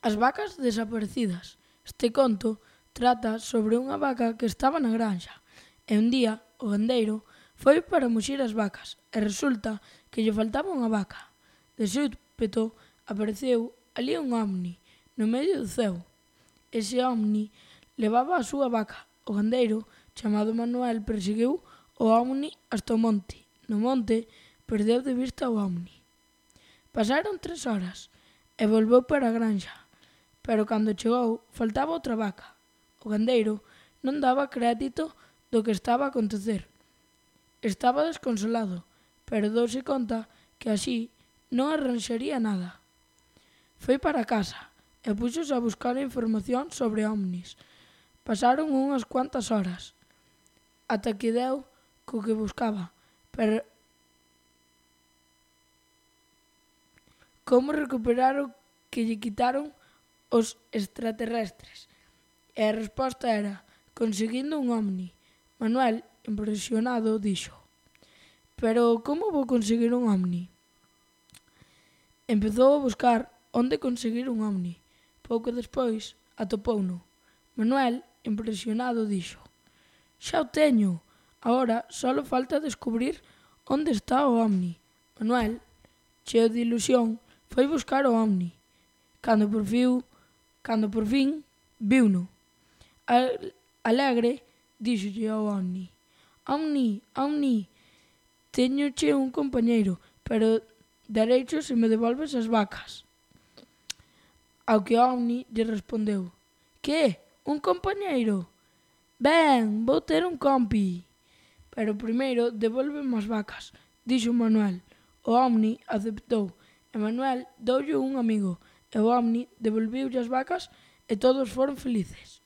As vacas desaparecidas. Este conto trata sobre unha vaca que estaba na granxa e un día o gandeiro foi para muxir as vacas e resulta que lle faltaba unha vaca. De súpeto apareceu alí un ovni no medio do ceo. Ese ovni levaba a súa vaca. O gandeiro, chamado Manuel, perseguiu o ovni hasta o monte. No monte perdeu de vista o ovni. Pasaron 3 horas e volveu para a granxa, pero cando chegou faltaba outra vaca. O gandeiro non daba crédito do que estaba a acontecer. Estaba desconsolado, pero douse conta que así non arranxaría nada. Foi para casa e puxose a buscar información sobre ovnis. Pasaron unhas cuantas horas, ata que deu co que buscaba, pero como recuperar o que lle quitaron os extraterrestres. E a resposta era conseguindo un ovni. Manuel, impresionado, dixo: pero como vou conseguir un ovni? Empezou a buscar onde conseguir un ovni. Pouco despois atopouno. Manuel, impresionado, dixo: xa o teño, agora só falta descubrir onde está o ovni. Manuel, cheo de ilusión, foi buscar o ovni. Cando por fin viuno. Alegre, díxolle ao ovni: Ovni, ovni, téñoche un compañeiro, pero dareicho se me devolves as vacas. Ao que o ovni lle respondeu: que? Un compañeiro? Ben, vou ter un compi. Pero primeiro devólveme as vacas, dixo Manuel. O ovni aceptou e Manuel doulle un amigo e o ovni devolviulle as vacas e todos foron felices.